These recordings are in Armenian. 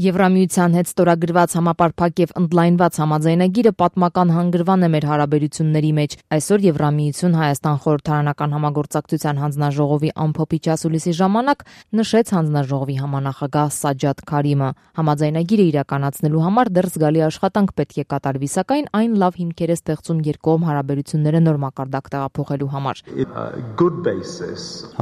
Եվրամիության հետ ստորագրված համապարփակ եւ ընդլայնված համաձայնագիրը պատմական հանգրվան է մեր հարաբերությունների մեջ։ Այսօր Եվրամիություն Հայաստան խորհրդարանական համագործակցության հանձնաժողովի ամփոփիչ ասուլիսի ժամանակ նշեց հանձնաժողովի համանախագահ Սաջադ Քարիմը։ Համաձայնագիրը իրականացնելու համար դեռ զգալի աշխատանք պետք է կատարվի, սակայն այն լավ հիմքեր է ստեղծում երկկողմ հարաբերությունները նոր մակարդակ տեղափոխելու համար։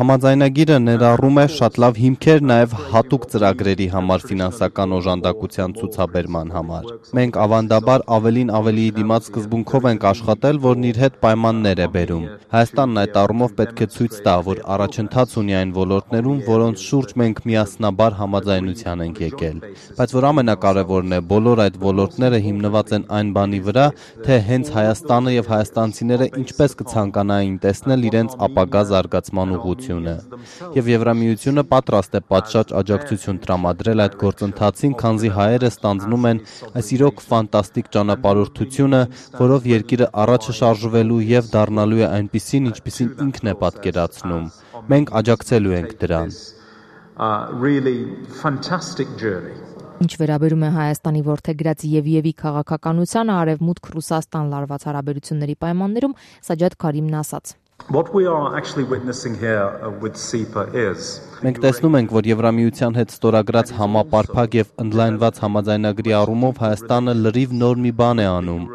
Համաձայնագիրը ներառում է շատ լավ հիմքեր նաև հատուկ ծրագրերի համար ֆինանսական օժանդակության ցուցաբերման համար։ Մենք ավանդաբար ավելին ավելիի դիմաց սկզբունքով ենք աշխատել, որն իր հետ պայմաններ է բերում։ Հայաստանն այդ առումով պետք է ցույց տա, որ առաջընթաց ունի այն ոլորտներում, որոնց շուրջ մենք միասնաբար համաձայնության ենք եկել։ Բայց որ ամենակարևորն է, բոլոր այդ ոլորտները հիմնված են այն բանի վրա, թե հենց Հայաստանը եւ հայաստանցիները ինչպես կցանկանային տեսնել իրենց ապագա զարգացման ուղղությունը։ Եվ Եվրամիությունը պատրաստ է պատշաճ աջակցություն տրամադրել այդ գործընթացին, քանզի հայերը ստանձնում են այս իրոք ֆանտաստիկ ճանապարհորդությունը, որով երկիրը առաջ շարժվելու եւ դառնալու է այնպիսին, ինչպիսին ինքն է պատկերացնում։ Մենք աջակցելու ենք դրան։ Ինչ վերաբերում է Հայաստանի որդեգրած Եվիևի քաղաքականությանը արևմուտք Ռուսաստան լարված հարաբերությունների պայմաններում, Սաջադ Քարիմն ասաց. Մենք տեսնում ենք, որ Եվրամիության հետ ստորագրած համապարփակ եւ ընդլայնված համաձայնագրի առումով Հայաստանը լրիվ նոր մի բան է անում։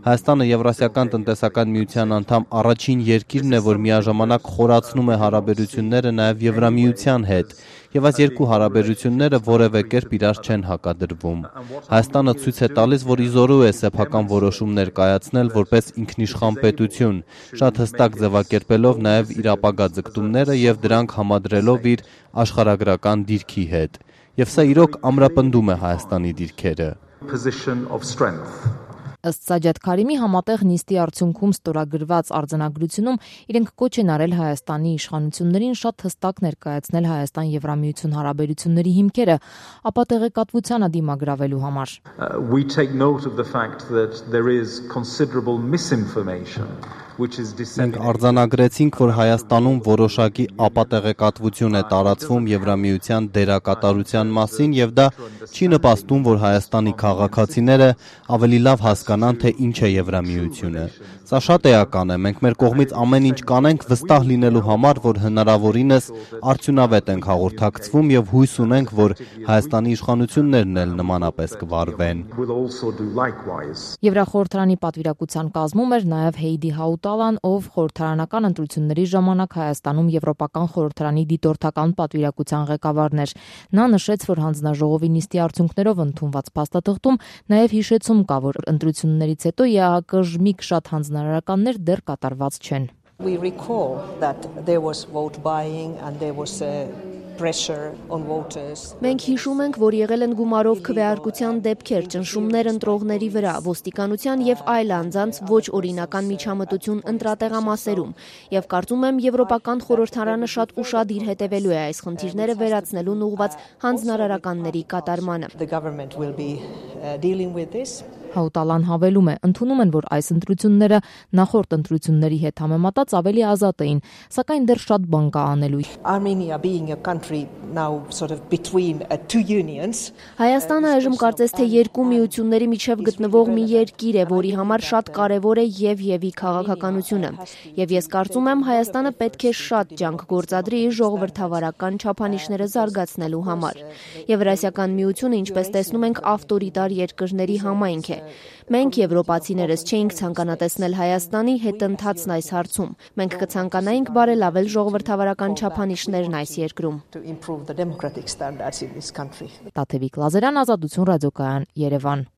Հայաստանը Եվրասիական տնտեսական միության անդամ առաջին երկիրն է, որ միաժամանակ խորացնում է հարաբերությունները նաեւ Եվրամիության հետ, եւ այս երկու հարաբերությունները որևէ կերպ իրար չեն հակադրվում։ Հայաստանը ցույց է տալիս, որ իզորու է սեփական որոշումներ կայացնել որպես ինքնիշխան պետություն, շատ հստակ ձևակերպելով նաեւ իր ապագա ձգտումները եւ դրանք համադրելով իր աշխարհագրական դիրքի հետ։ Եվ սա իրոք ամրապնդում է Հայաստանի դիրքերը։ Ըստ Սաջադ Քարիմի, համատեղ նիստի արդյունքում ստորագրված արձանագրությունում իրենք կոչ են արել Հայաստանի իշխանություններին շատ հստակ ներկայացնել Հայաստան-Եվրամիություն հարաբերությունների հիմքերը, ապա տեղեկատվությանը դիմագրավելու համար։ Մենք արձանագրեցինք, որ Հայաստանում որոշակի ապատեղեկատվություն է տարածվում Եվրամիության դերակատարության մասին եւ դա չի նպաստում, որ Հայաստանի քաղաքացիները ավելի լավ հասկանան, թե ինչ է Եվրամիությունը։ Սա շատ էական է, մենք մեր կողմից ամեն ինչ կանենք վստահ լինելու համար, որ հնարավորինս արդյունավետ ենք հաղորդակցվում եւ հույս ունենք, որ Հայաստանի իշխանություններն էլ նմանապես կվարվեն։ Եվրախորհրդարանի պատվիրակության կազմում էր նաեւ Հեյդի Հաուտալան, ով խորհրդարանական ընտրությունների ժամանակ Հայաստանում Եվրոպական խորհրդարանի դիտորդական պատվիրակության ղեկավարն էր։ Նա նշեց, որ հանձնաժողովի նիստի արդյունքներով ընդունված փաստաթղթում նաեւ հիշեցում կա, որ ընտրություններից հետո ԵԱՀԿ ժմիկ շատ հանձնարարականներ դեռ կատարված չեն։ Մենք հիշում ենք, որ եղել են գումարով քվեարկության դեպքեր, ճնշումներ ընտրողների վրա, ոստիկանության եւ այլ անձանց ոչ օրինական միջամտություն ընտրատեղամասերում, եւ կարծում եմ Եվրոպական խորհրդարանը շատ ուշադիր հետևելու է այս խնդիրները վերացնելուն ուղղված հանձնարարականների կատարմանը։ Հաուտալան հավելում է, ընդունում են, որ այս ընտրությունները նախորդ ընտրությունների հետ համեմատած ավելի ազատ էին, սակայն դեռ շատ բան կա անելու։ Հայաստանը այժմ կարծես թե երկու միությունների միջև գտնվող մի երկիր է, որի համար շատ կարևոր է եւ քաղաքականությունը։ Եվ ես կարծում եմ, Հայաստանը պետք է շատ ջանք գործադրի իր ժողովրդավարական չափանիշները զարգացնելու համար։ Եվրասիական միությունը, ինչպես տեսնում ենք, ավտորիտար երկրների համայնք է։ Մենք եվրոպացիներս չէինք ցանկանա տեսնել Հայաստանի հետընթացն այս հարցում։ Մենք կցանկանայինք բարելավել ժողովրդավարական չափանիշներն այս երկրում։ Տաթևիկ Լազարյան, Ազատություն ռադիոկայան, Երևան։